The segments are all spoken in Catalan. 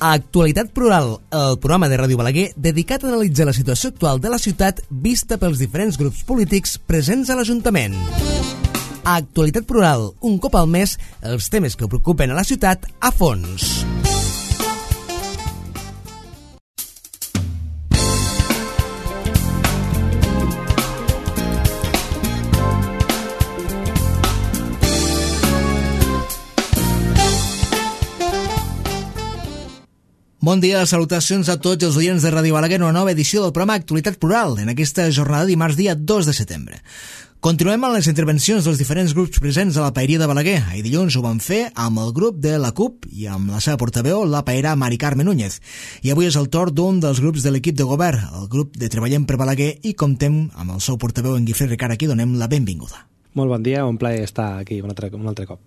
Actualitat Plural, el programa de Ràdio Balaguer dedicat a analitzar la situació actual de la ciutat vista pels diferents grups polítics presents a l'Ajuntament. Actualitat Plural, un cop al mes, els temes que preocupen a la ciutat a fons. Bon dia, salutacions a tots els oients de Ràdio Balaguer, una nova edició del programa Actualitat Plural, en aquesta jornada de dimarts dia 2 de setembre. Continuem amb les intervencions dels diferents grups presents a la Paeria de Balaguer. Ahir dilluns ho vam fer amb el grup de la CUP i amb la seva portaveu, la paera Mari Carme Núñez. I avui és el torn d'un dels grups de l'equip de govern, el grup de Treballem per Balaguer, i comptem amb el seu portaveu, en Guifré Ricard, a qui donem la benvinguda. Molt bon dia, un plaer estar aquí un altre cop.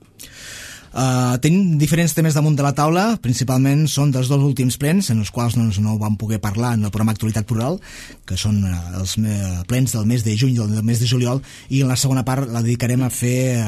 Tenim diferents temes damunt de la taula, principalment són dels dos últims plens, en els quals no vam poder parlar en el programa Actualitat Plural, que són els plens del mes de juny i del mes de juliol, i en la segona part la dedicarem a fer,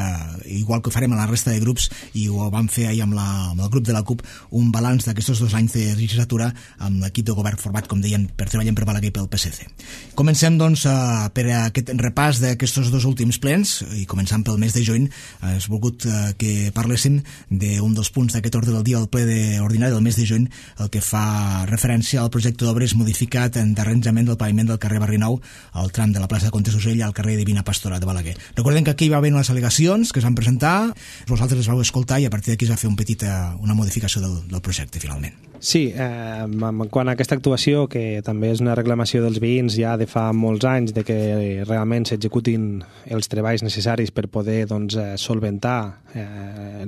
igual que ho farem a la resta de grups, i ho vam fer ahir amb el grup de la CUP, un balanç d'aquests 2 anys de legislatura amb l'equip de govern format, com deien, per Treballem per Balaguer i pel PSC. Comencem, doncs, per aquest repàs d'aquests 2 últims plens, i començant pel mes de juny, has volgut que parléssim d'un dels punts d'aquest ordre del dia al ple ordinari del mes de juny, el que fa referència al projecte d'obres modificat d'arranjament del paviment del carrer Barrinou al tram de la plaça de Comtes d'Usell al carrer Divina Pastora de Balaguer. Recordem que aquí hi va haver unes al·legacions que es van presentar, vosaltres les vau escoltar i a partir d'aquí es va fer una modificació del projecte finalment. Sí, quant a aquesta actuació, que també és una reclamació dels veïns ja de fa molts anys, de que realment s'executin els treballs necessaris per poder solventar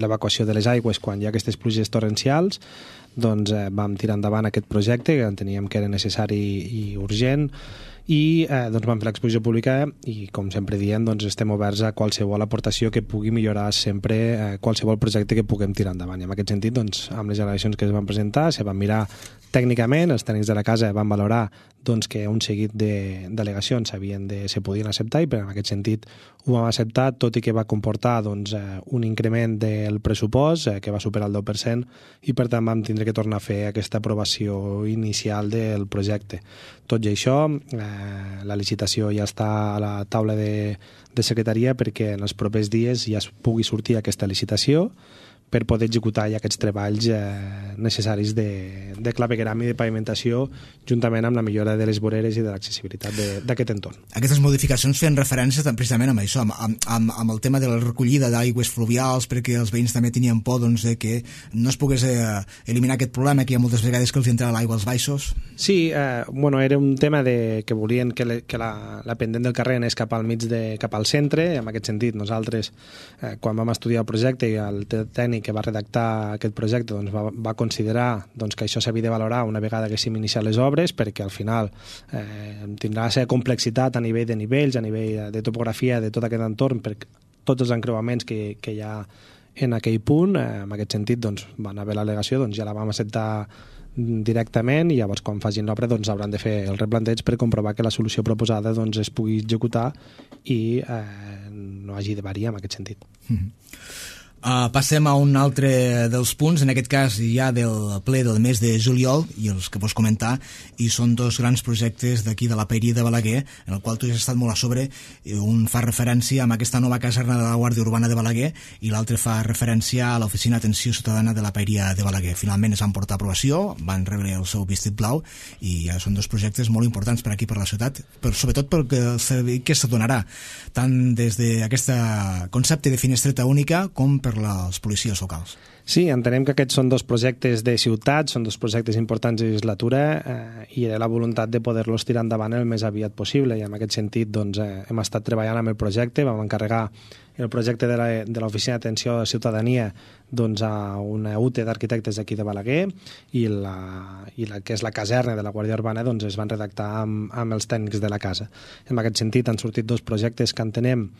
l'evacuació de les aigües quan hi ha aquestes pluges torrencials, doncs vam tirar endavant aquest projecte que enteníem que era necessari i urgent, i vam fer l'exposició pública i, com sempre diem, estem oberts a qualsevol aportació que pugui millorar sempre qualsevol projecte que puguem tirar endavant. I en aquest sentit, amb les al·legacions que es van presentar, se van mirar tècnicament, els tècnics de la casa van valorar que un seguit d'al·legacions se podien acceptar, i en aquest sentit ho vam acceptar, tot i que va comportar un increment del pressupost que va superar el 10%, i per tant vam tindre que tornar a fer aquesta aprovació inicial del projecte. Tot i això, la licitació ja està a la taula de secretaria perquè en els propers dies ja pugui sortir aquesta licitació per poder executar ja aquests treballs necessaris de clavegueram i de pavimentació, juntament amb la millora de les voreres i de l'accessibilitat d'aquest entorn. Aquestes modificacions feien referència precisament amb això, amb el tema de la recollida d'aigües fluvials, perquè els veïns també tenien por de que no es pogués eliminar aquest problema que hi ha moltes vegades que els entrava l'aigua als baixos. Sí, era un tema que volien que la pendent del carrer anés cap al centre. En aquest sentit, nosaltres, quan vam estudiar el projecte, i el tècnic que va redactar aquest projecte va considerar que això s'havia de valorar una vegada que s'hem iniciat les obres, perquè al final tindrà la seva complexitat a nivell de nivells, a nivell de topografia de tot aquest entorn, per tots els encreuaments que hi ha en aquell punt. En aquest sentit van haver l'al·legació, ja la vam acceptar directament, i llavors quan facin l'obra hauran de fer el replanteig per comprovar que la solució proposada es pugui executar i no hagi de variar en aquest sentit. Passem a un altre dels punts, en aquest cas ja del ple del mes de juliol, i els que vols comentar, i són 2 grans projectes d'aquí de la Paeria de Balaguer, en el qual tu has estat molt a sobre. Un fa referència a aquesta nova caserna de la Guàrdia Urbana de Balaguer i l'altre fa referència a l'Oficina d'Atenció Ciutadana de la Paeria de Balaguer. Finalment es van portar a aprovació, van rebre el seu vistit blau, i ja són 2 projectes molt importants per aquí, per la ciutat, sobretot perquè el servei que se donarà tant des d'aquest concepte de finestreta única com per les policies locals. Sí, entenem que aquests són 2 projectes de ciutat, són 2 projectes importants de legislatura, i era la voluntat de poder-los tirar endavant el més aviat possible, i en aquest sentit hem estat treballant amb el projecte. Vam encarregar el projecte de l'Oficina d'Atenció a la Ciutadania a una UTE d'arquitectes d'aquí de Balaguer, i la que és la caserna de la Guàrdia Urbana es van redactar amb els tècnics de la casa. En aquest sentit han sortit 2 projectes que entenem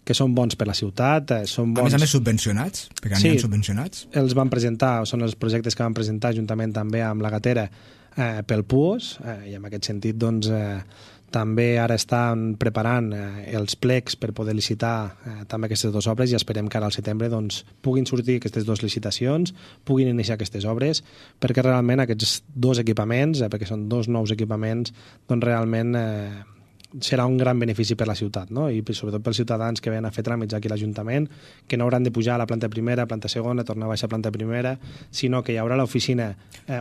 que són bons per la ciutat. Són bons... A més subvencionats, perquè n'hi ha subvencionats. Els van presentar, són els projectes que van presentar juntament també amb la Gatera pel PUOS, i en aquest sentit També ara estan preparant els plecs per poder licitar també aquestes dues obres i esperem que ara al setembre doncs, puguin sortir aquestes dues licitacions, puguin iniciar aquestes obres, perquè realment aquests dos equipaments, perquè són dos nous equipaments, doncs realment serà un gran benefici per la ciutat, no? I sobretot pels ciutadans que venen a fer tràmits aquí a l'Ajuntament, que no hauran de pujar a la planta primera, planta segona, tornar a baixar a planta primera, sinó que hi haurà l'oficina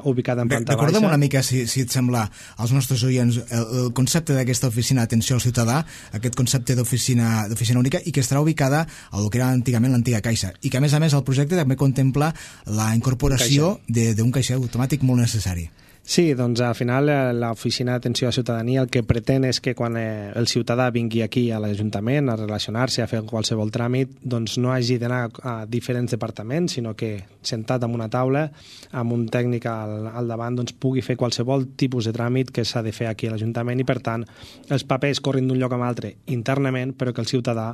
ubicada en planta baixa. Recorda'm una mica, si et sembla, als nostres oients, el concepte d'aquesta oficina d'atenció al ciutadà, aquest concepte d'oficina única, i que estarà ubicada al que era antigament l'antiga Caixa, i que a més el projecte també contempla la incorporació d'un caixer automàtic molt necessari. Sí, doncs al final l'Oficina d'Atenció a la Ciutadania el que pretén és que quan el ciutadà vingui aquí a l'Ajuntament a relacionar-se, a fer qualsevol tràmit, doncs no hagi d'anar a diferents departaments, sinó que sentat en una taula, amb un tècnic al davant, doncs pugui fer qualsevol tipus de tràmit que s'ha de fer aquí a l'Ajuntament i, per tant, els papers corren d'un lloc a l'altre internament, però que el ciutadà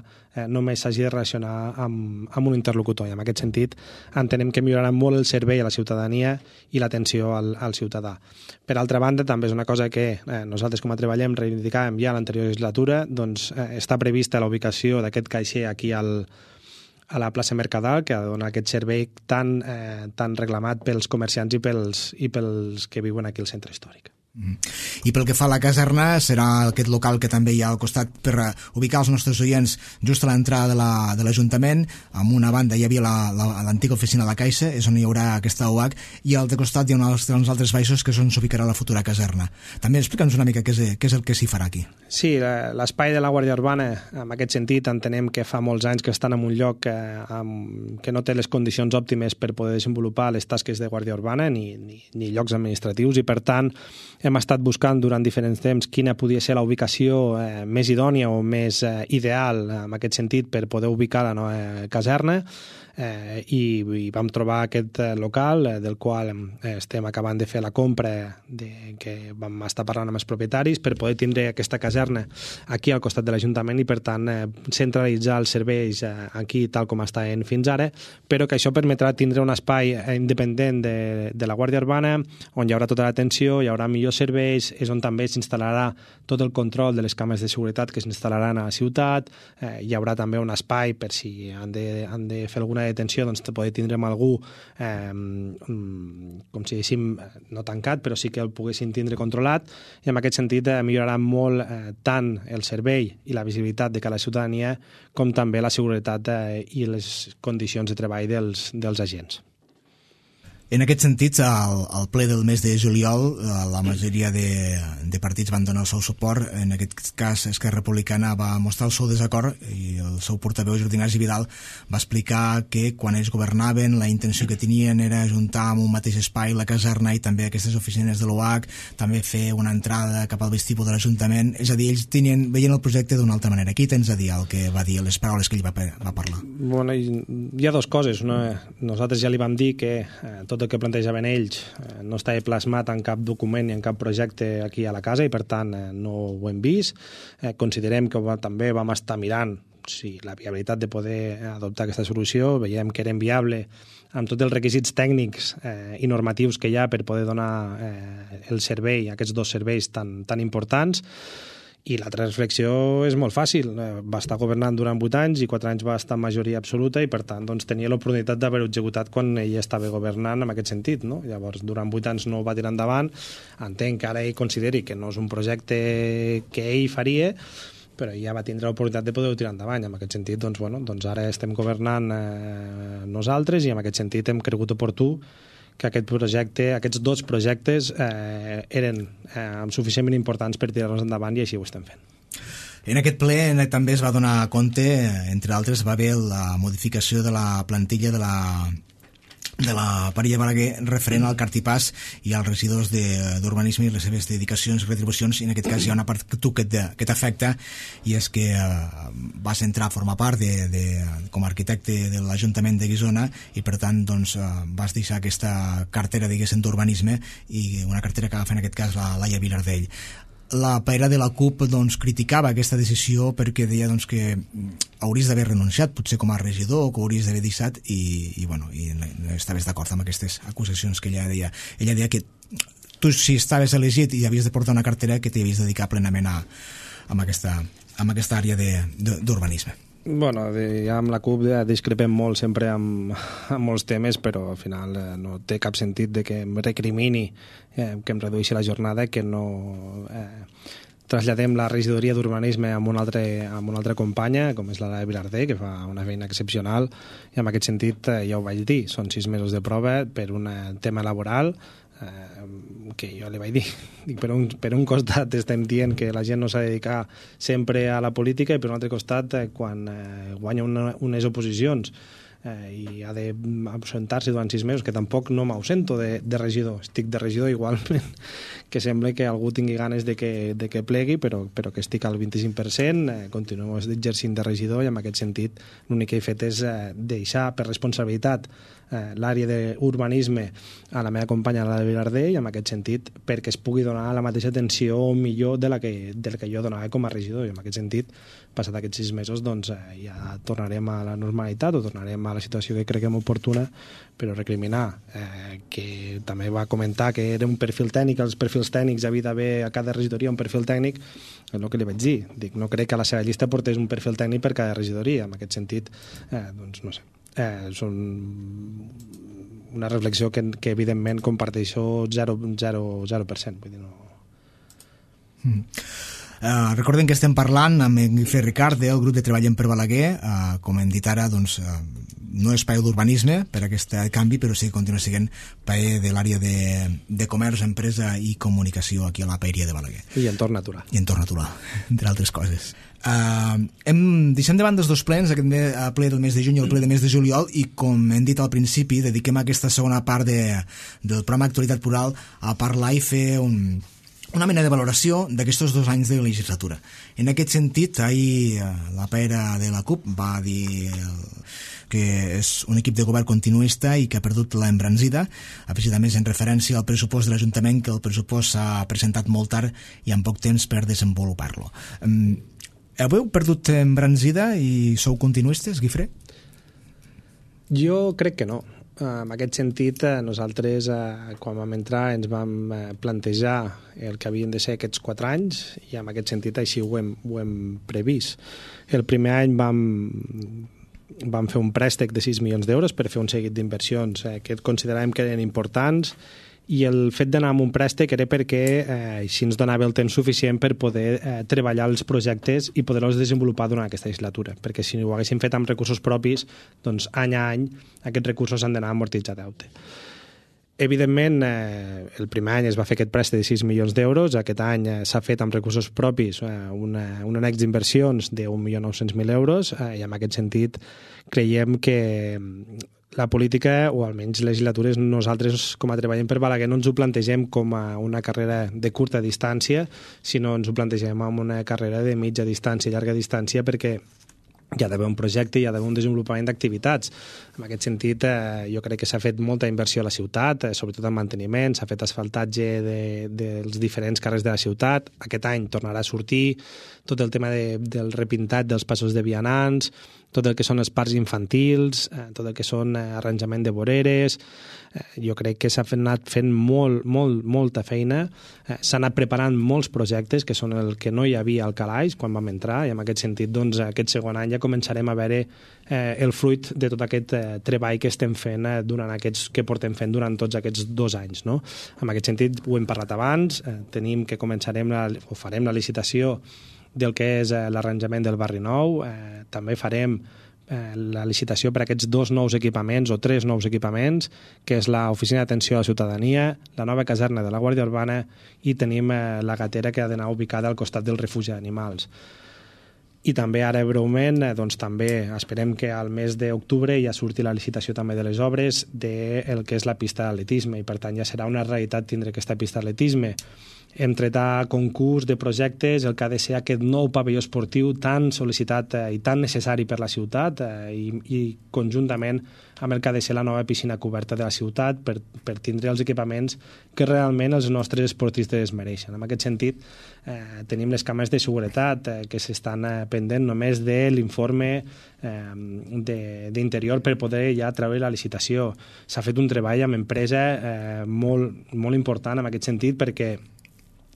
només s'hagi de relacionar amb un interlocutor. I en aquest sentit entenem que millorarà molt el servei a la ciutadania i l'atenció al ciutadà. Per altra banda, també és una cosa que nosaltres com a Treballem reivindicàvem ja a l'anterior legislatura, doncs està prevista la ubicació d'aquest caixer aquí a la plaça Mercadal, que dona aquest servei tan reclamat pels comerciants i pels que viuen aquí al centre històric. I pel que fa a la caserna, serà aquest local que també hi ha al costat per ubicar els nostres oients just a l'entrada de l'Ajuntament. Amb una banda hi havia l'antiga oficina de la Caixa, és on hi haurà aquesta UAC, i al costat hi ha uns altres baixos que és on s'ubicarà la futura caserna. També explica'ns una mica què és el que s'hi farà aquí. Sí, l'espai de la Guàrdia Urbana, en aquest sentit, entenem que fa molts anys que estan en un lloc que no té les condicions òptimes per poder desenvolupar les tasques de Guàrdia Urbana ni llocs administratius, i per tant hem estat buscant durant diferents temps quina podia ser la ubicació més idònia o més ideal en aquest sentit per poder ubicar la nova caserna, i vam trobar aquest local del qual estem acabant de fer la compra, que vam estar parlant amb els propietaris per poder tindre aquesta caserna aquí al costat de l'Ajuntament i, per tant, centralitzar els serveis aquí tal com estaven fins ara, però que això permetrà tindre un espai independent de la Guàrdia Urbana, on hi haurà tota l'atenció, hi haurà millors serveis, és on també s'instal·larà tot el control de les càmeres de seguretat que s'instal·laran a la ciutat, hi haurà també un espai per si han de fer alguna detenció, doncs poder tindre amb algú com si diguéssim no tancat, però sí que el poguessin tindre controlat, i en aquest sentit millorarà molt tant el servei i la visibilitat de cada ciutadania com també la seguretat i les condicions de treball dels agents. En aquest sentit, al ple del mes de juliol, la majoria de partits van donar el seu suport. En aquest cas, Esquerra Republicana va mostrar el seu desacord, i el seu portaveu, Jordi Ignasi Vidal, va explicar que quan ells governaven la intenció que tenien era ajuntar en un mateix espai la caserna i també aquestes oficines de l'UAC, també fer una entrada cap al vestíbul de l'Ajuntament. És a dir, ells veien el projecte d'una altra manera. Aquí tens a dir el que va dir, les paraules que ell va parlar. Bueno, hi ha dues coses. Nosaltres ja li vam dir que tot el que plantejaven ells no estava plasmat en cap document ni en cap projecte aquí a la casa, i per tant no ho hem vist. Considerem que també vam estar mirant la viabilitat de poder adoptar aquesta solució. Veiem que era inviable amb tots els requisits tècnics i normatius que hi ha per poder donar el servei, aquests dos serveis tan importants. I l'altra reflexió és molt fàcil. Va estar governant durant 8 anys i 4 anys va estar en majoria absoluta, i per tant doncs, tenia l'oportunitat d'haver-ho executat quan ell estava governant en aquest sentit, no? Llavors, durant 8 anys no ho va tirar endavant. Entenc que ara ell consideri que no és un projecte que ell faria, però ja va tindre l'oportunitat de poder-ho tirar endavant. En aquest sentit, doncs ara estem governant nosaltres, i en aquest sentit hem cregut oportú que aquests dos projectes eren suficientment importants per tirar-los endavant, i així ho estem fent. En aquest ple també es va donar compte, entre altres, va haver la modificació de la plantilla de la parella Balaguer referent al cartipàs i als residus d'urbanisme i les seves dedicacions i retribucions. I en aquest cas hi ha una part que t'afecta, i és que vas entrar a formar part com a arquitecte de l'Ajuntament de Guissona, i per tant doncs, vas deixar aquesta cartera, diguéssim, d'urbanisme, i una cartera que agafa en aquest cas la Laia Vilardell. La paera de la CUP doncs, criticava aquesta decisió perquè deia doncs, que hauries d'haver renunciat potser com a regidor, o que hauries d'haver deixat, i estaves d'acord amb aquestes acusacions que ella deia. Ella deia que tu, si estaves elegit i havies de portar una cartera, que t'hi havies de dedicar plenament a aquesta àrea d'urbanisme. Bueno, ja amb la CUP discrepem molt sempre amb molts temes, però al final no té cap sentit de que em recrimini que em redueixi la jornada, que no traslladem la regidoria d'urbanisme amb una altra companya, com és la Vilardell, que fa una feina excepcional, i en aquest sentit ja ho vaig dir, són 6 mesos de prova per un tema laboral, que jo li vaig dir, per un costat estem dient que la gent no s'ha de dedicar sempre a la política, i per un altre costat quan guanya unes oposicions i ha d'absentar-se durant 6 mesos, que tampoc no m'ausento de regidor, estic de regidor igualment, que sembla que algú tingui ganes de que plegui, però que estic al 25%, continuo exercint de regidor, i en aquest sentit l'únic que he fet és deixar per responsabilitat l'àrea d'urbanisme a la meva companya, la de Vilardell, i en aquest sentit perquè es pugui donar la mateixa atenció o millor del que jo donava com a regidor, i en aquest sentit, passat aquests 6 mesos, doncs ja tornarem a la normalitat o tornarem a la situació que creguem oportuna, però recriminar que també va comentar que era un perfil tècnic, els perfils tècnics havia d'haver a cada regidoria un perfil tècnic, és el que li vaig dir, dic, no crec que a la seva llista portés un perfil tècnic per cada regidoria, en aquest sentit, doncs no sé, són una reflexió que evidentment comparteixo 0%, vull dir, no... Recordem que estem parlant amb en Guifré Ricart del grup de Treballem per Balaguer, com hem dit ara, doncs, no és paio d'urbanisme per aquest canvi, però sí que continua sent paio de l'àrea de comerç, empresa i comunicació aquí a la paeria de Balaguer. I entorn natural. I entorn natural, entre altres coses. Deixem de banda els dos plens, aquest ple del mes de juny i el ple del mes de juliol, i com hem dit al principi, dediquem aquesta segona part del programa Actualitat Plural a parlar i fer una mena de valoració d'aquests 2 anys de legislatura. En aquest sentit, ahir la pera de la CUP va dir que és un equip de govern continuista i que ha perdut l'embranzida, afegit a més en referència al pressupost de l'Ajuntament, que el pressupost s'ha presentat molt tard i amb poc temps per desenvolupar-lo. Heu perdut embranzida i sou continuistes, Guifré? Jo crec que no. En aquest sentit, nosaltres, quan vam entrar, ens vam plantejar el que havien de ser aquests 4 anys, i en aquest sentit així ho hem previst. El primer any vam fer un préstec de 6 milions d'euros per fer un seguit d'inversions que consideràvem que eren importants, i el fet d'anar amb un préstec era perquè així ens donava el temps suficient per poder treballar els projectes i poder-los desenvolupar durant aquesta legislatura, perquè si ho haguéssim fet amb recursos propis, doncs any a any aquests recursos han d'anar amortitzar deute. Evidentment, el primer any es va fer aquest préstec de 6 milions d'euros, aquest any s'ha fet amb recursos propis un annex d'inversions de 1.900.000 euros, i en aquest sentit creiem que la política, o almenys legislatures, nosaltres com a Treballem per Balaguer no ens ho plantegem com a una carrera de curta distància, sinó ens ho plantegem com una carrera de mitja distància i llarga distància, perquè hi ha d'haver un projecte, hi ha d'haver un desenvolupament d'activitats. En aquest sentit, jo crec que s'ha fet molta inversió a la ciutat, sobretot en manteniment, s'ha fet asfaltatge dels diferents carrers de la ciutat. Aquest any tornarà a sortir tot el tema del repintat dels passos de vianants, tot el que són els parcs infantils, tot el que són arranjament de voreres. Jo crec que s'ha anat fent molta feina, s'ha anat preparant molts projectes, que són el que no hi havia al calaix quan vam entrar, i en aquest sentit, doncs, aquest segon any ja començarem a veure el fruit de tot aquest treball que estem fent que portem fent durant tots aquests 2 anys, no? En aquest sentit, ho hem parlat abans, tenim que farem la licitació del que és l'arranjament del Barri Nou, també farem la licitació per a aquests 2 nous equipaments o 3 nous equipaments, que és l'Oficina d'Atenció a la Ciutadania, la nova caserna de la Guàrdia Urbana, i tenim la gatera que ha d'anar ubicada al costat del refugi d'animals. I també ara breument, doncs també esperem que al mes d'octubre ja surti la licitació també de les obres del que és la pista d'atletisme, i per tant ja serà una realitat tindre aquesta pista d'atletisme. Hem tret a concurs de projectes el que ha de ser aquest nou pavelló esportiu tan sol·licitat i tan necessari per la ciutat, i conjuntament amb el que ha de ser la nova piscina coberta de la ciutat per tindre els equipaments que realment els nostres esportistes mereixen. En aquest sentit, tenim les càmeres de seguretat que s'estan pendent només de l'informe d'interior per poder ja treure la licitació. S'ha fet un treball amb empresa molt important en aquest sentit, perquè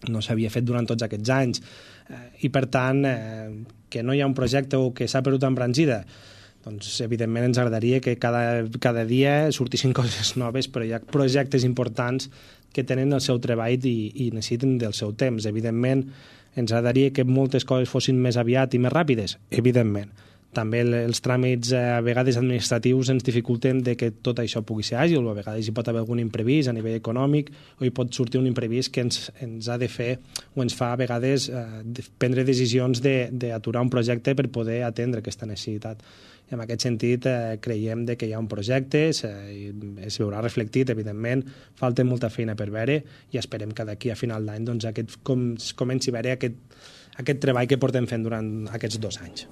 no s'havia fet durant tots aquests anys, i per tant que no hi ha un projecte o que s'ha perdut embranzida, doncs evidentment ens agradaria que cada dia sortissin coses noves, però hi ha projectes importants que tenen el seu treball i necessiten del seu temps. Evidentment ens agradaria que moltes coses fossin més aviat i més ràpides, evidentment. També els tràmits a vegades administratius ens dificulten de que tot això pugui ser àgil, o a vegades hi pot haver algun imprevist a nivell econòmic, o hi pot sortir un imprevist que ens ha de fer o ens fa a vegades prendre decisions d'aturar un projecte per poder atendre aquesta necessitat. I en aquest sentit creiem que hi ha un projecte, es veurà reflectit, evidentment, falta molta feina per veure i esperem que d'aquí a final d'any comenci a veure aquest treball que portem fent durant aquests 2 anys.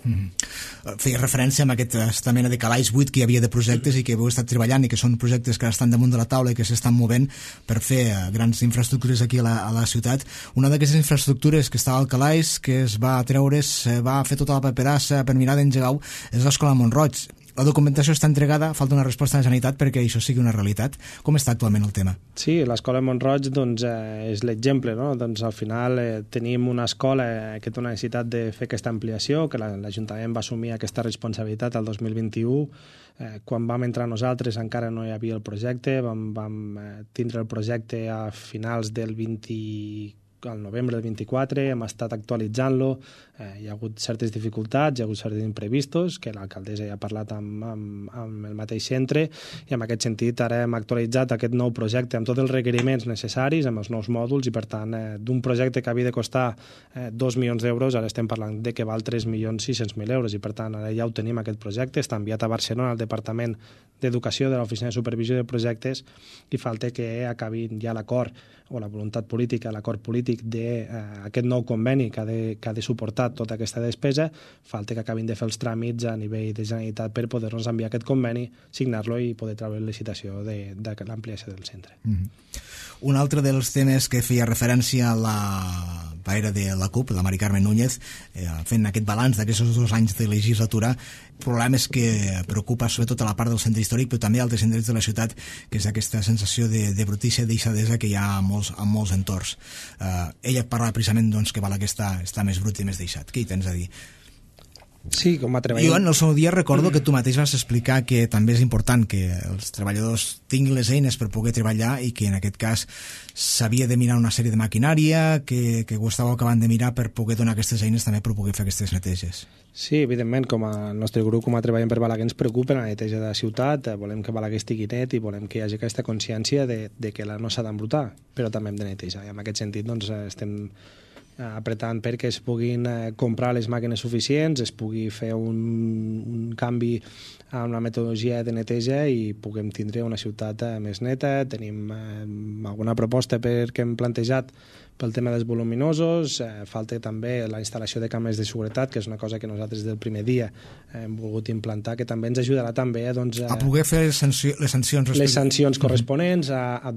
Feia referència a aquesta mena de calaix buit que hi havia de projectes i que heu estat treballant i que són projectes que estan damunt de la taula i que s'estan movent per fer grans infraestructures aquí a la ciutat. Una d'aquestes infraestructures que estava al calaix, que es va treure, va fer tota la paperassa per mirar d'engegar-ho, és l'Escola Mont-roig. La documentació està entregada, falta una resposta de la Generalitat perquè això sigui una realitat. Com està actualment el tema? Sí, l'Escola Mont-roig doncs, és l'exemple, no? Doncs, al final tenim una escola que té una necessitat de fer aquesta ampliació, que l'Ajuntament va assumir aquesta responsabilitat el 2021. Quan vam entrar nosaltres encara no hi havia el projecte, vam tindre el projecte a finals del al novembre del 24, hem estat actualitzant-lo, hi ha hagut certes dificultats, hi ha hagut certes imprevistos, que l'alcaldessa ja ha parlat amb el mateix centre, i en aquest sentit ara hem actualitzat aquest nou projecte amb tots els requeriments necessaris, amb els nous mòduls, i per tant d'un projecte que havia de costar 2 milions d'euros, ara estem parlant de que val 3.600.000 euros, i per tant ara ja ho tenim aquest projecte, està enviat a Barcelona al Departament d'Educació de l'Oficina de Supervisió de Projectes, i falta que acabin ja l'acord o la voluntat política, l'acord polític d'aquest nou conveni que ha de suportar tota aquesta despesa, falta que acabin de fer els tràmits a nivell de Generalitat per poder-nos enviar aquest conveni, signar-lo i poder treure la licitació de l'ampliació del centre. Un altre dels temes que feia referència a la paera de la CUP, la Mari Carmen Núñez, fent aquest balanç d'aquests 2 anys de legislatura, problemes que preocupa sobretot a la part del centre històric, però també a altres indrets de la ciutat, que és aquesta sensació de brutícia i deixadesa que hi ha en molts entorns. Ella parla precisament doncs, que val que està més brut i més deixat. Què hi tens a dir? Sí, com a treballador. Jo en el seu dia recordo que tu mateix vas explicar que també és important que els treballadors tinguin les eines per poder treballar i que en aquest cas s'havia de mirar una sèrie de maquinària, que ho estàveu acabant de mirar per poder donar aquestes eines també per poder fer aquestes neteges. Sí, evidentment, com a nostre grup, com a Treballem per Balaguer, ens preocupa la neteja de la ciutat, volem que Balaguer estigui net i volem que hi hagi aquesta consciència de que no s'ha d'embrutar, però també hem de netejar. I en aquest sentit doncs, estem apretant perquè es puguin comprar les màquines suficients, es pugui fer un canvi amb la metodologia de neteja i puguem tindre una ciutat més neta. Tenim alguna proposta que hem plantejat pel tema dels voluminosos, falta també la instal·lació de càmeres de seguretat, que és una cosa que nosaltres del primer dia hem volgut implantar, que també ens ajudarà també a poder fer les sancions corresponents, a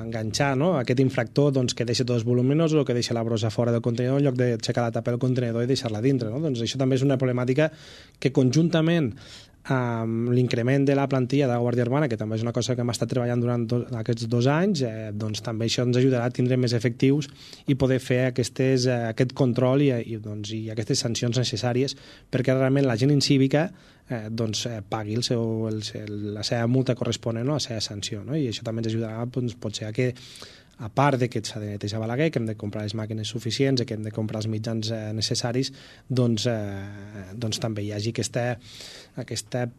enganxar, no? Aquest infractor que deixa tots els voluminosos o que deixa la brossa fora del contenidor en lloc d'aixecar la tapa del contenidor i deixar-la dintre, no? Doncs això també és una problemàtica que conjuntament amb l'increment de la plantilla de la Guàrdia Urbana, que també és una cosa que hem estat treballant durant aquests 2 anys, doncs també això ens ajudarà a tindre més efectius i poder fer aquest control i aquestes sancions necessàries perquè realment la gent incívica pagui la seva multa corresponent o la seva sanció, no? I això també ens ajudarà potser a que, a part de que s'ha de netejar Balaguer, que hem de comprar les màquines suficients i que hem de comprar els mitjans necessaris, doncs també hi hagi aquestes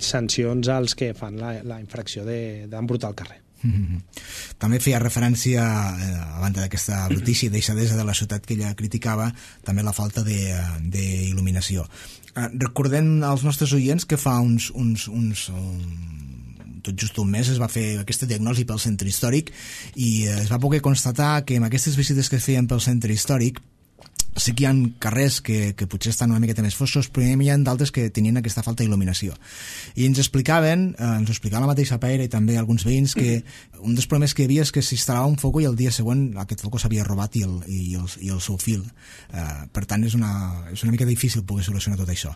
sancions als que fan la infracció d'embrutar el carrer. També feia referència, a banda d'aquesta brutícia i deixadesa de la ciutat que ella criticava, també la falta d'il·luminació. Recordem als nostres oients que fa tot just un mes es va fer aquesta diagnosi pel centre històric i es va poder constatar que amb aquestes visites que es feien pel centre històric sí que hi ha carrers que potser estan una miqueta més foscos, però hi ha d'altres que tenien aquesta falta d'il·luminació. I ens ho explicava la mateixa Peira i també alguns veïns, que un dels problemes que hi havia és que s'instal·lava un foco i el dia següent aquest foco s'havia robat i el seu fil. Per tant, és una mica difícil poder solucionar tot això.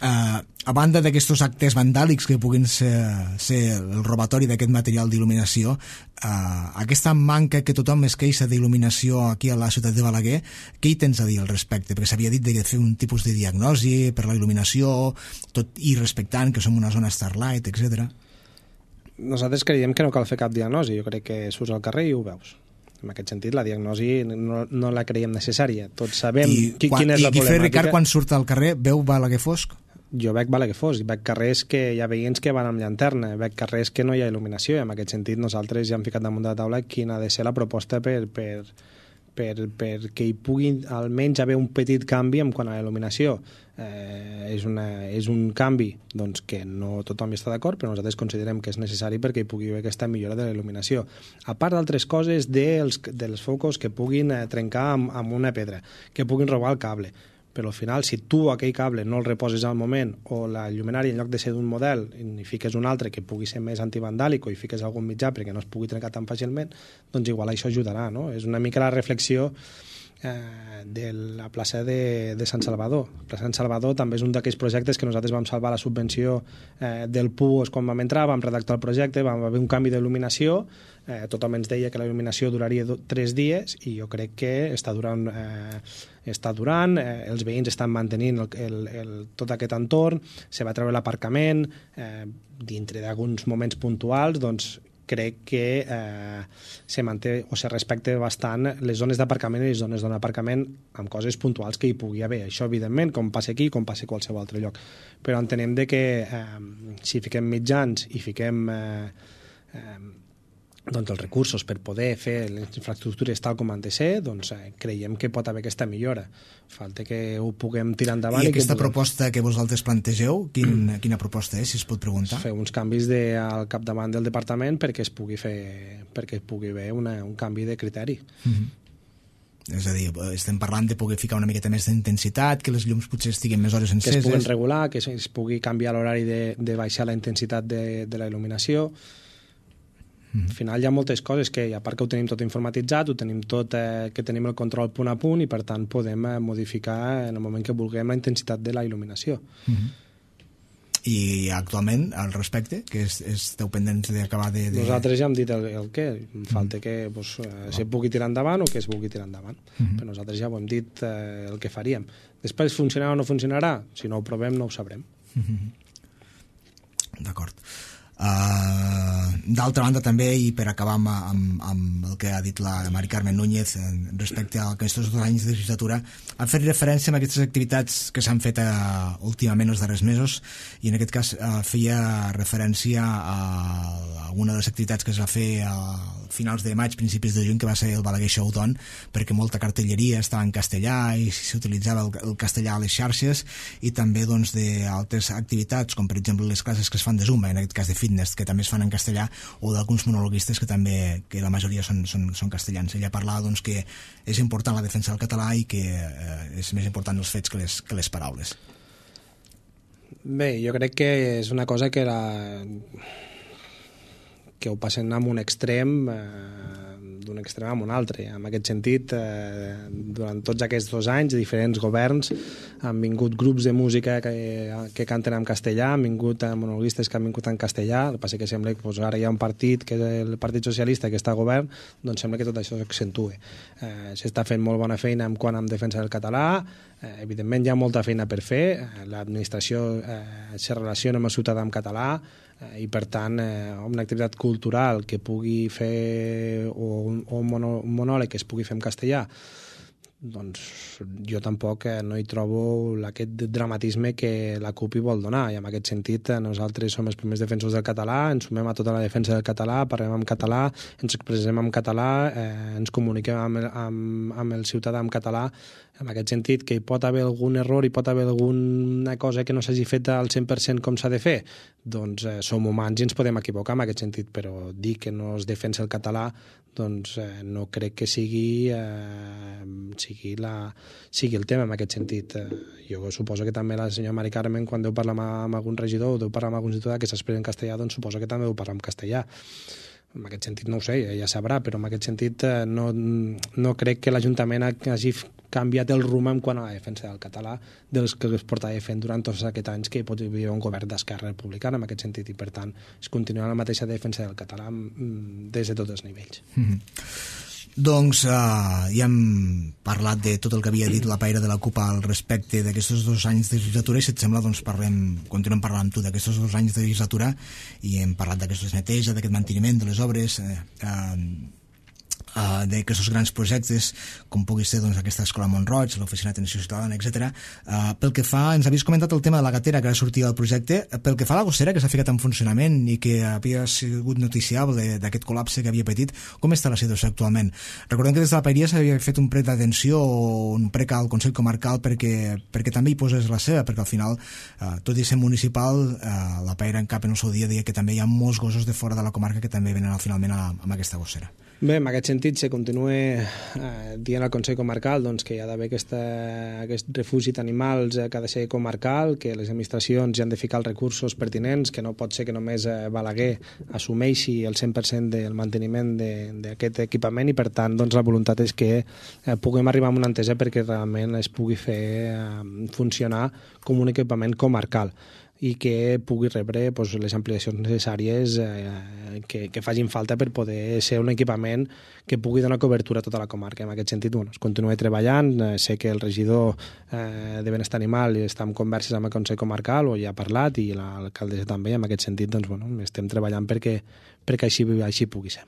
A banda d'aquests actes vandàlics que puguin ser el robatori d'aquest material d'il·luminació, aquesta manca que tothom es queixa d'il·luminació aquí a la ciutat de Balaguer, què hi tens a dir al respecte? Perquè s'havia dit de fer un tipus de diagnosi per la il·luminació, tot i respectant que som una zona Starlight, etc. Nosaltres creiem que no cal fer cap diagnosi. Jo crec que surts al carrer i ho veus. En aquest sentit, la diagnosi no la creiem necessària. Tots sabem quina és la problemàtica. I Guifré Ricard, quan surt al carrer, veu Balaguer fosc? Jo veig Balaguer fosc, veig carrers que hi ha veïns que van amb llanterna, veig carrers que no hi ha il·luminació, i en aquest sentit nosaltres ja hem ficat damunt de la taula quina ha de ser la proposta perquè hi pugui almenys haver un petit canvi en quant a la il·luminació. És un canvi doncs, que no tothom hi està d'acord, però nosaltres considerem que és necessari perquè hi pugui haver aquesta millora de la il·luminació. A part d'altres coses dels focus que puguin trencar amb una pedra, que puguin robar el cable, però al final, si tu aquell cable no el reposes al moment, o la llumenària en lloc de ser d'un model i fiques un altre que pugui ser més antivandàlic, o hi fiques algun mitjà perquè no es pugui trencar tan fàcilment, doncs igual això ajudarà, no? És una mica la reflexió de la plaça de Sant Salvador. La plaça de Sant Salvador també és un d'aquells projectes que nosaltres vam salvar la subvenció del PUOS quan vam entrar, vam redactar el projecte, vam haver un canvi d'il·luminació, tothom ens deia que la il·luminació duraria 3 dies i jo crec que està durant, els veïns estan mantenint tot aquest entorn, se va treure l'aparcament, dintre d'alguns moments puntuals, doncs crec que se manté o se respecta bastant les zones d'aparcament i les zones d'aparcament amb coses puntuals que hi pugui haver. Això, evidentment, com passa aquí, com passa a qualsevol altre lloc. Però entenem que si fiquem mitjans i fiquem doncs els recursos per poder fer les infraestructures tal com han de ser, doncs creiem que pot haver aquesta millora. Falta que ho puguem tirar endavant. I aquesta proposta que vosaltres plantegeu, quina proposta és, si es pot preguntar? Fer uns canvis al capdavant del departament perquè es pugui haver un canvi de criteri. És a dir, estem parlant de poder ficar una miqueta més d'intensitat, que les llums potser estiguin més hores enceses. Que es puguen regular, que es pugui canviar l'horari de baixar la intensitat de la il·luminació. Al final hi ha moltes coses que, a part que ho tenim tot informatitzat, ho tenim tot, que tenim el control punt a punt i per tant podem modificar en el moment que vulguem la intensitat de la il·luminació. I actualment, al respecte, que esteu pendents d'acabar de... Nosaltres ja hem dit el què, falta que se pugui tirar endavant o que es vulgui tirar endavant. Però nosaltres ja ho hem dit el que faríem. Després funcionarà o no funcionarà? Si no ho provem no ho sabrem. D'acord. D'altra banda també, i per acabar amb el que ha dit la Mari Carmen Núñez respecte a aquests 2 anys de legislatura, ha fet referència a aquestes activitats que s'han fet últimament els darrers mesos, i en aquest cas feia referència a una de les activitats que es va fer a finals de maig, principis de juny, que va ser el Balaguer Showdown, perquè molta cartelleria estava en castellà i s'utilitzava el castellà a les xarxes, i també doncs d'altres activitats com per exemple les classes que es fan de Zumba, en aquest cas de fitness, que també es fan en castellà, o d'alguns monologuistes que la majoria són castellans. Ella parlava doncs, que és important la defensa del català i que és més important els fets que les paraules. Bé, jo crec que és una cosa que ho passen amb un extrem d'un extrem a un altre. En aquest sentit, durant tots aquests 2 anys, diferents governs han vingut grups de música que canten en castellà, han vingut monologuistes que han vingut en castellà. El que passa que sembla que ara hi ha un partit, que és el Partit Socialista, que està al govern, doncs sembla que tot això s'accentue. S'està fent molt bona feina quant a defensa del català, evidentment hi ha molta feina per fer, l'administració se relaciona amb el ciutadà en català, i per tant una activitat cultural que pugui fer o un monòleg que es pugui fer en castellà, doncs jo tampoc no hi trobo aquest dramatisme que la CUP hi vol donar, i en aquest sentit nosaltres som els primers defensors del català, ens sumem a tota la defensa del català, parlem en català, ens expressem en català, ens comuniquem amb el ciutadà en català. En aquest sentit, que hi pot haver algun error, hi pot haver alguna cosa que no s'hagi fet al 100% com s'ha de fer, doncs som humans i ens podem equivocar en aquest sentit, però dir que no es defensa el català doncs no crec que sigui sigui el tema en aquest sentit. Jo suposo que també la senyora Mari Carmen, quan deu parlar amb algun regidor o deu parlar amb algun ciutadà que s'expressa en castellà, doncs suposo que també deu parlar en castellà. En aquest sentit no ho sé, ja sabrà, però en aquest sentit no crec que l'Ajuntament hagi canviat el rumb en quant a la defensa del català dels que es portava fent durant tots aquests anys que hi havia un govern d'Esquerra Republicana en aquest sentit, i per tant es continua la mateixa defensa del català des de tots els nivells. Doncs ja hem parlat de tot el que havia dit la Paire de la CUP al respecte d'aquests 2 anys de legislatura, i si et sembla doncs continuem parlant amb tu d'aquests 2 anys de legislatura, i hem parlat d'aquestes neteja, d'aquest manteniment de les obres, d'aquests grans projectes com pugui ser doncs, aquesta escola Montroig, l'oficina d'atenció ciutadana, etc. Pel que fa, ens havies comentat el tema de la gatera que ara sortia del projecte. Pel que fa a la gossera que s'ha ficat en funcionament i que havia sigut noticiable d'aquest col·lapse que havia patit, com està la situació actualment? Recordem que des de la Paeria s'havia fet un prec d'atenció o un prec al Consell Comarcal perquè també hi posés la seva, perquè al final, tot i ser municipal, la Paeria en cap en el seu dia deia que també hi ha molts gossos de fora de la comarca que també venen finalment amb aquesta gossera. Bé, en aquest sentit se continua dient al Consell Comarcal doncs, que hi ha d'haver aquest refugi d'animals que ha de ser comarcal, que les administracions hi han de ficar els recursos pertinents, que no pot ser que només Balaguer assumeixi el 100% del manteniment d'aquest equipament, i per tant doncs, la voluntat és que puguem arribar a una entesa perquè realment es pugui fer funcionar com un equipament comarcal i que pugui rebre doncs, les ampliacions necessàries que facin falta per poder ser un equipament que pugui donar cobertura a tota la comarca. En aquest sentit, es continua treballant. Sé que el regidor de Benestar Animal està en converses amb el Consell Comarcal, o ja ha parlat, i l'alcaldessa també. En aquest sentit, estem treballant perquè així pugui ser.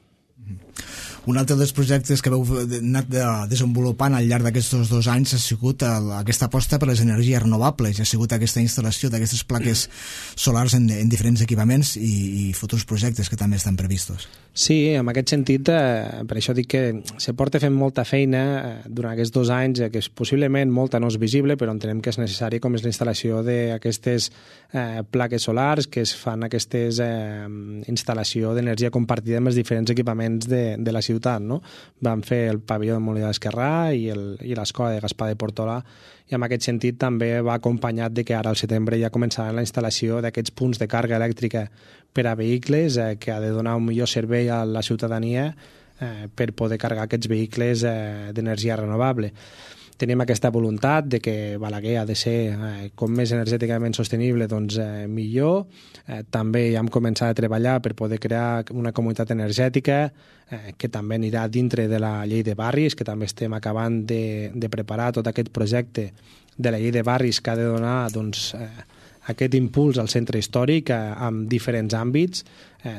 Un altre dels projectes que heu anat desenvolupant al llarg d'aquests 2 anys ha sigut aquesta aposta per les energies renovables, ha sigut aquesta instal·lació d'aquestes plaques solars en diferents equipaments i futurs projectes que també estan previstos. Sí, en aquest sentit, per això dic que se porta fent molta feina durant aquests 2 anys, que possiblement molta no és visible, però entenem que és necessari, com és la instal·lació d'aquestes plaques solars, que es fan aquestes instal·lació d'energia compartida amb els diferents equipaments de la ciutat, no? Vam fer el pavelló de Molí d'Esquerrà i l'escola de Gaspar de Portolà, i en aquest sentit també va acompanyat de que ara al setembre ja començarà la instal·lació d'aquests punts de càrrega elèctrica per a vehicles que ha de donar un millor servei a la ciutadania per poder carregar aquests vehicles d'energia renovable. Tenim aquesta voluntat de que Balaguer ha de ser com més energèticament sostenible, doncs millor. També ja hem començat a treballar per poder crear una comunitat energètica que també anirà dintre de la llei de barris, que també estem acabant de preparar tot aquest projecte de la llei de barris que ha de donar doncs, aquest impuls al centre històric en diferents àmbits,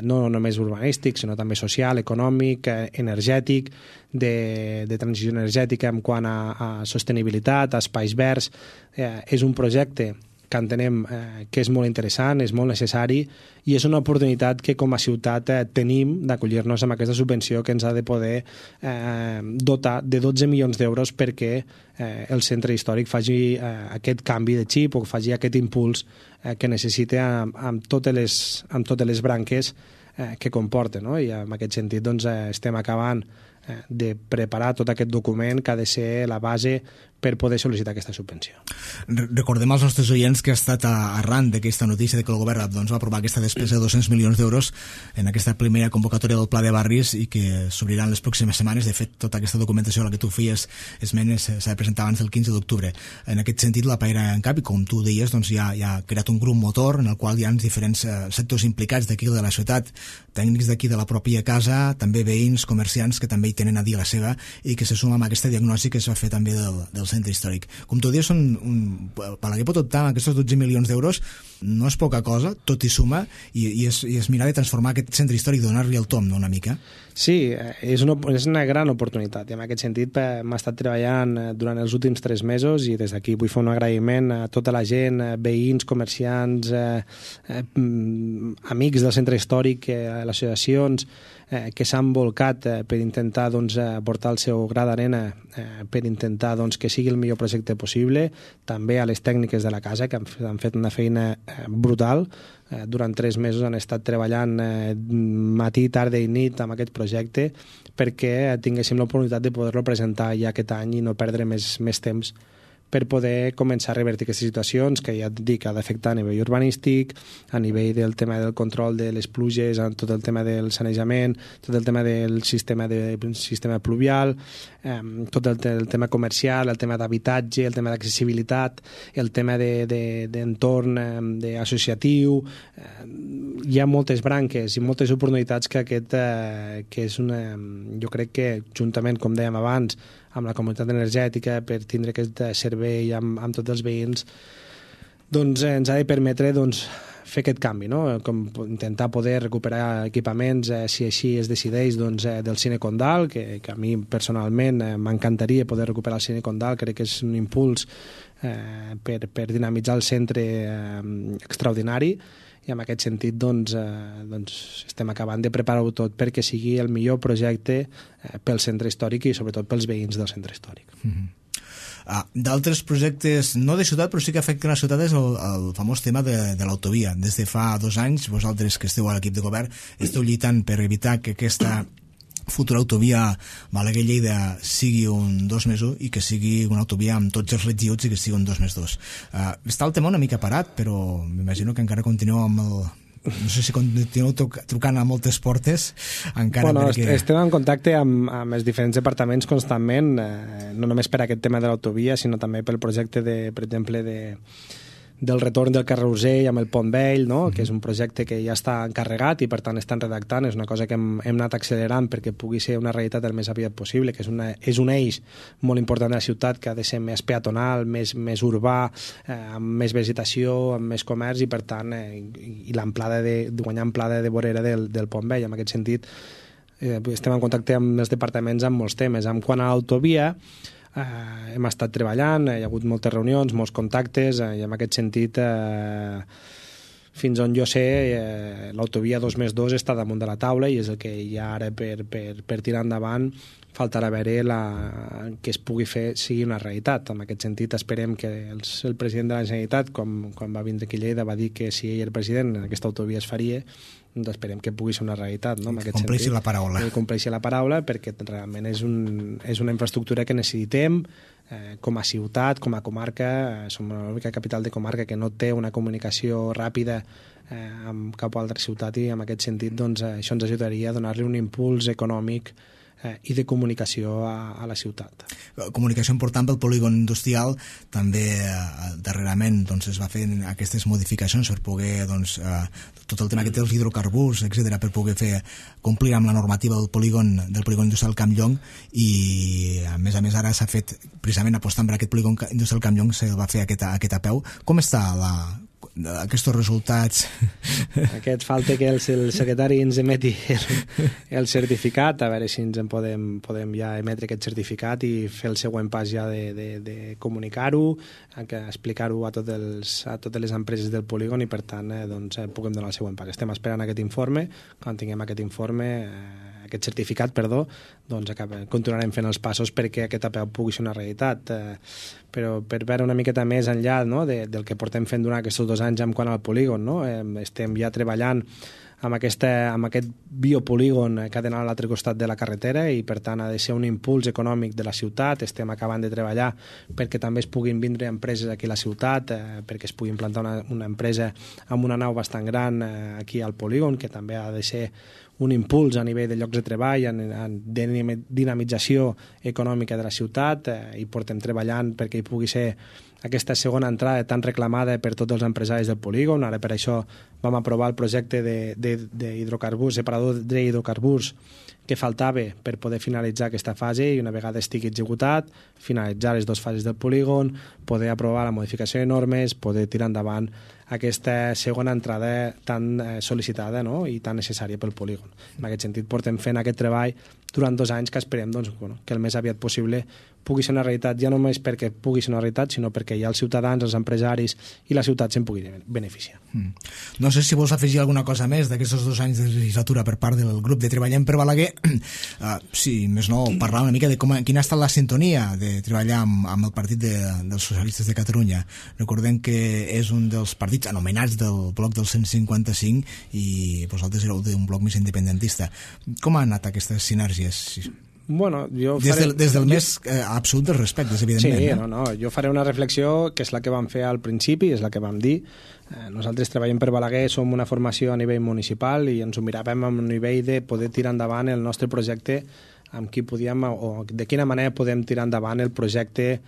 no només urbanístic, sinó també social, econòmic, energètic, de transició energètica en quant a sostenibilitat, a espais verds. És un projecte que entenem que és molt interessant, és molt necessari, i és una oportunitat que com a ciutat tenim d'acollir-nos amb aquesta subvenció que ens ha de poder dotar de 12 milions d'euros perquè el centre històric faci aquest canvi de xip o faci aquest impuls que necessita amb totes les branques que comporta, no? I en aquest sentit doncs, estem acabant de preparar tot aquest document que ha de ser la base per poder sol·licitar aquesta subvenció. Recordem als nostres oients que ha estat arran d'aquesta notícia de que el govern va aprovar aquesta despesa de 200 milions d'euros en aquesta primera convocatòria del Pla de Barris i que s'obriran les pròximes setmanes. De fet, tota aquesta documentació a la que tu feies esmenes s'ha de presentar abans del 15 d'octubre. En aquest sentit, la Paeria en cap, i com tu deies, doncs ja ha creat un grup motor en el qual hi ha diferents sectors implicats d'aquí de la ciutat, tècnics d'aquí de la pròpia casa, també veïns, comerciants que també hi tenen a dir la seva i que se suma amb aquesta diagnosi que es va fer també del centre històric. Com tu dius, Balaguer pot optar amb aquests 12 milions d'euros, no és poca cosa, tot hi suma, i és mirar de transformar aquest centre històric, donar-li el tom, no, una mica? Sí, és una gran oportunitat, i en aquest sentit m'ha estat treballant durant els últims 3 mesos, i des d'aquí vull fer un agraïment a tota la gent, veïns, comerciants, amics del centre històric, associacions, que s'han volcat per intentar portar el seu gra d'arena per intentar que sigui el millor projecte possible, també a les tècniques de la casa, que han fet una feina brutal. Durant 3 mesos han estat treballant matí, tarda i nit amb aquest projecte perquè tinguéssim l'oportunitat de poder-lo presentar ja aquest any i no perdre més temps per poder començar a revertir aquestes situacions que ja et dic ha d'afectar a nivell urbanístic, a nivell del tema del control de les pluges, tot el tema del sanejament, tot el tema del sistema pluvial, tot el tema comercial, el tema d'habitatge, el tema d'accessibilitat, el tema d'entorn associatiu. Hi ha moltes branques i moltes oportunitats que que és jo crec que juntament, com dèiem abans, amb la comunitat energètica, per tindre aquest servei amb tots els veïns, ens ha de permetre fer aquest canvi, no? Com intentar poder recuperar equipaments, si així es decideix, del Cine Condal, que a mi personalment m'encantaria poder recuperar el Cine Condal, crec que és un impuls per dinamitzar el centre extraordinari, i en aquest sentit estem acabant de preparar-ho tot perquè sigui el millor projecte pel centre històric i sobretot pels veïns del centre històric. D'altres projectes, no de ciutat, però sí que afecten la ciutat, és el famós tema de l'autovia. Des de fa 2 anys, vosaltres que esteu a l'equip de govern, esteu lluitant per evitar que aquesta futura autovia Balaguer-Lleida sigui un 2+1 i que sigui una autovia amb tots els regiuts i que sigui un 2+2. Està el tema una mica parat, però m'imagino que encara continueu amb el... No sé si continueu trucant a moltes portes encara perquè... Estem en contacte amb els diferents departaments constantment, no només per aquest tema de l'autovia, sinó també pel projecte, per exemple, del retorn del carrer Urgell amb el Pont Vell, no? Que és un projecte que ja està encarregat i per tant estan redactant, és una cosa que hem anat accelerant perquè pugui ser una realitat el més aviat possible, que és un eix molt important de la ciutat que ha de ser més peatonal, més urbà, amb més vegetació, amb més comerç i per tant i l'amplada de guanyar amplada de vorera del Pont Vell. En aquest sentit estem en contacte amb els departaments amb molts temes. En quant a l'autovia, hem estat treballant, hi ha hagut moltes reunions, molts contactes, i en aquest sentit fins on jo sé l'autovia 2+2 està damunt de la taula i és el que hi ha ara per tirar endavant. Faltarà veure que es pugui fer sigui una realitat. En aquest sentit esperem que el president de la Generalitat, quan va vindre aquí a Lleida, va dir que si ell era president aquesta autovia es faria, doncs esperem que pugui ser una realitat, no? Que compleixi la paraula. Que compleixi la paraula, perquè realment és una infraestructura que necessitem com a ciutat, com a comarca. Som l'única capital de comarca que no té una comunicació ràpida amb cap altra ciutat i en aquest sentit això ens ajudaria a donar-li un impuls econòmic i de comunicació a la ciutat. Comunicació important pel polígon industrial. També darrerament es va fer aquestes modificacions per poder tot el tema que té els hidrocarburs, etc, per poder complir amb la normativa del polígon industrial Camp Llong, i a més ara s'ha fet, precisament apostant per aquest polígon industrial Camp Llong, se va fer aquest apeu. Com està aquests resultats? Falta que el secretari ens emeti el certificat, a veure si ens en podem ja emetre aquest certificat i fer el següent pas ja de comunicar-ho, explicar-ho a totes les empreses del polígon i per tant puguem donar el següent pas. Estem esperant aquest informe. Quan tinguem aquest certificat, continuarem fent els passos perquè aquest apeu pugui ser una realitat. Però per veure una miqueta més enllà, no, del que portem fent durant aquests 2 anys en quant al polígon, no? Estem ja treballant amb aquest biopolígon que ha d'anar a l'altre costat de la carretera i per tant ha de ser un impuls econòmic de la ciutat. Estem acabant de treballar perquè també es puguin vindre empreses aquí a la ciutat, perquè es pugui implantar una empresa amb una nau bastant gran aquí al polígon, que també ha de ser un impuls a nivell de llocs de treball, de dinamització econòmica de la ciutat, i portem treballant perquè hi pugui ser aquesta segona entrada tan reclamada per tots els empresaris del polígon. Ara per això vam aprovar el projecte d'hidrocarburs, separador d'hidrocarburs, que faltava per poder finalitzar aquesta fase i una vegada estigui executat, finalitzar les dues fases del polígon, poder aprovar la modificació de normes, poder tirar endavant aquesta segona entrada tan sol·licitada, no?, i tan necessària pel polígon. En aquest sentit, portem fent aquest treball durant 2 anys que esperem doncs, que el més aviat possible pugui ser una realitat, ja no només perquè pugui ser una realitat, sinó perquè ja els ciutadans, els empresaris i la ciutat se'n puguin beneficiar. No sé si vols afegir alguna cosa més d'aquests 2 anys de legislatura per part del grup de Treballem per Balaguer. Sí, més no, parlar una mica de quina ha estat la sintonia de treballar amb el Partit dels Socialistes de Catalunya. Recordem que és un dels partits anomenats del bloc del 155 i vosaltres éreu d'un bloc més independentista. Com han anat aquestes sinergies? Bueno, des del més absolut dels respectes, evidentment. Sí, no, jo faré una reflexió que és la que vam fer al principi, és la que vam dir. Nosaltres Treballem per Balaguer som una formació a nivell municipal i ens ho miràvem a un nivell de poder tirar endavant el nostre projecte amb qui podíem, o de quina manera podem tirar endavant el projecte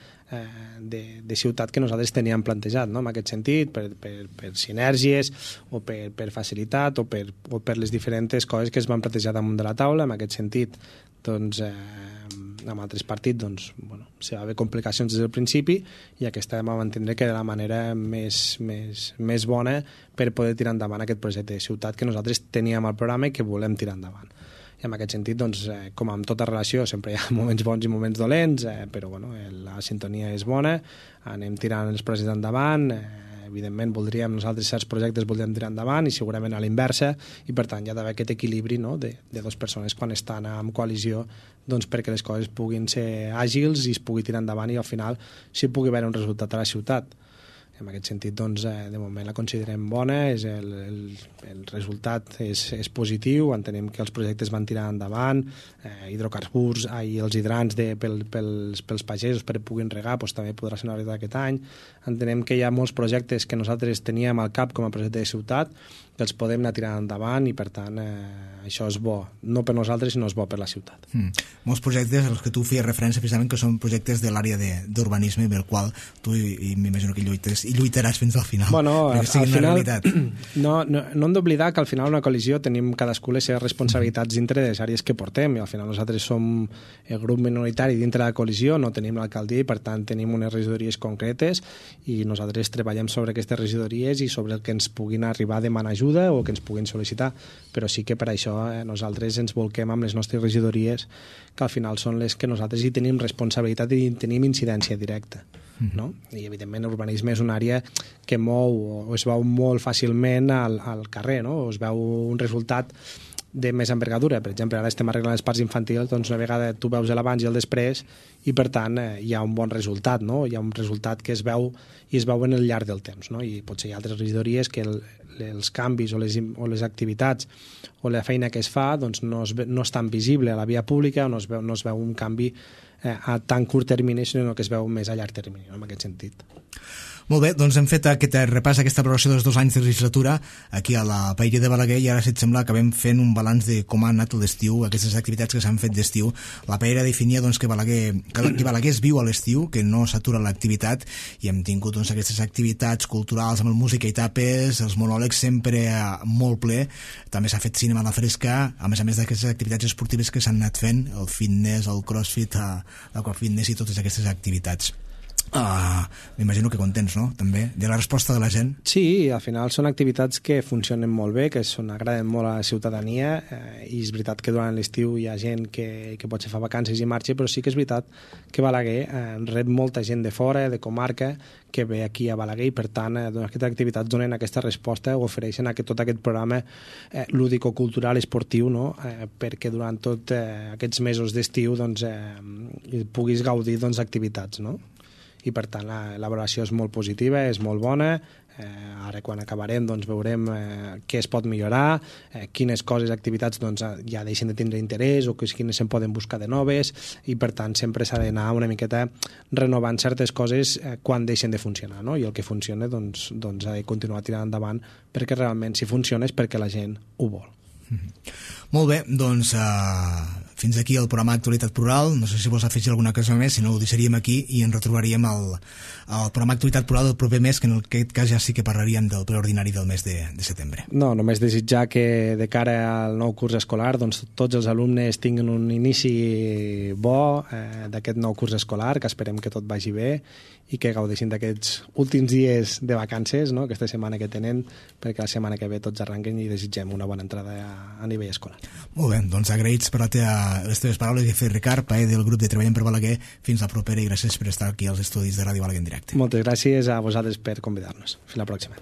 de ciutat que nosaltres teníem plantejat, no? En aquest sentit, per sinergies o per facilitat o per les diferents coses que es van plantejar damunt de la taula. En aquest sentit, doncs, amb altres partits doncs, bueno, hi va haver complicacions des del principi i aquesta vam entendre que era la manera més bona per poder tirar endavant aquest projecte de ciutat que nosaltres teníem al programa i que volem tirar endavant. I en aquest sentit, doncs, com amb tota relació, sempre hi ha moments bons i moments dolents, però bueno, la sintonia és bona, anem tirant els projectes endavant, evidentment nosaltres certs projectes voldríem tirar endavant i segurament a l'inversa, i per tant hi ha d'haver aquest equilibri, no?, de 2 persones quan estan en coalició, doncs perquè les coses puguin ser àgils i es pugui tirar endavant i al final s'hi pugui veure un resultat a la ciutat. En aquest sentit, doncs, de moment la considerem bona, el resultat és positiu, entenem que els projectes van tirar endavant, hidrocarburs i els hidrants pels pagesos perquè puguin regar, doncs, també podrà ser una realitat aquest any. Entenem que hi ha molts projectes que nosaltres teníem al cap com a projecte de ciutat que els podem anar tirant endavant i per tant això és bo, no per nosaltres sinó és bo per la ciutat. Molts projectes als que tu feies referència precisament que són projectes de l'àrea d'urbanisme amb el qual tu i m'imagino que lluitaràs fins al final, perquè sigui una realitat. No hem d'oblidar que al final una coalició tenim cadascú les seves responsabilitats dintre de les àrees que portem i al final nosaltres som el grup minoritari dintre de la coalició, no tenim l'alcaldia i per tant tenim unes regidories concretes i nosaltres treballem sobre aquestes regidories i sobre el que ens puguin arribar a demanar ajuda o que ens puguin sol·licitar, però sí que per això nosaltres ens volquem amb les nostres regidories que al final són les que nosaltres hi tenim responsabilitat i tenim incidència directa. No? I evidentment l'urbanisme és una àrea que mou o es veu molt fàcilment al carrer, no? O es veu un resultat de més envergadura. Per exemple, ara estem arreglant els parcs infantils, doncs una vegada tu veus l'abans i el després i per tant hi ha un bon resultat, no? Hi ha un resultat que es veu i es veu en el llarg del temps, no? I potser hi ha altres regidories que els canvis o les activitats o la feina que es fa doncs no és tan visible a la via pública o no es veu un canvi a tan curt termini, sinó que es veu més a llarg termini, no? En aquest sentit. Molt bé, doncs hem fet aquest repàs, aquesta valoració dels 2 anys de legislatura aquí a la Paella de Balaguer i ara, si et sembla, acabem fent un balanç de com ha anat l'estiu, aquestes activitats que s'han fet d'estiu. La Paella definia doncs, que Balaguer es viu a l'estiu, que no s'atura l'activitat i hem tingut doncs, aquestes activitats culturals amb el música i tapes, els monòlegs sempre molt ple, també s'ha fet cinema a la fresca, a més d'aquestes activitats esportives que s'han anat fent, el fitness, el crossfit, l'aquafitness i totes aquestes activitats. M'imagino que contents, no?, també, de la resposta de la gent. Sí, al final són activitats que funcionen molt bé, que agraden molt a la ciutadania i és veritat que durant l'estiu hi ha gent que potser fa vacances i marxa, però sí que és veritat que Balaguer rep molta gent de fora, de comarca, que ve aquí a Balaguer i per tant aquestes activitats donen aquesta resposta o ofereixen tot aquest programa lúdico-cultural esportiu, no? Perquè durant tots aquests mesos d'estiu doncs, puguis gaudir d'activitats, no? I per tant la valoració és molt positiva, és molt bona. Ara quan acabarem doncs, veurem què es pot millorar, quines coses, activitats doncs, ja deixen de tindre interès o quines se'n poden buscar de noves i per tant sempre s'ha d'anar una miqueta renovant certes coses quan deixen de funcionar, no? I el que funciona doncs ha de continuar tirant endavant perquè realment si funciona és perquè la gent ho vol. Molt bé, doncs Fins aquí el programa Actualitat Plural. No sé si vols afegir alguna cosa més, si no ho deixaríem aquí i ens retrobaríem al programa Actualitat Plural del proper mes, que en aquest cas ja sí que parlaríem del ple ordinari del mes de setembre. No, només desitjar que de cara al nou curs escolar doncs, tots els alumnes tinguin un inici bo d'aquest nou curs escolar, que esperem que tot vagi bé i que gaudeixin d'aquests últims dies de vacances, no?, aquesta setmana que tenen, perquè la setmana que ve tots arranquen i desitgem una bona entrada a nivell escolar. Molt bé, doncs agraïts per les teves paraules i fer Ricard Paé del grup de Treballem per Balaguer. Fins la propera i gràcies per estar aquí als estudis de Ràdio Balaguer en directe. Moltes gràcies a vosaltres per convidar-nos. Fins la pròxima.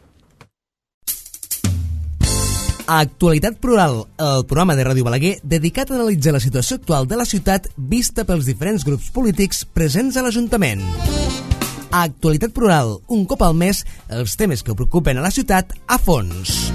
Actualitat Plural, el programa de Ràdio Balaguer dedicat a analitzar la situació actual de la ciutat vista pels diferents grups polítics presents a l'Ajuntament. Actualitat Plural, un cop al mes, els temes que preocupen a la ciutat a fons.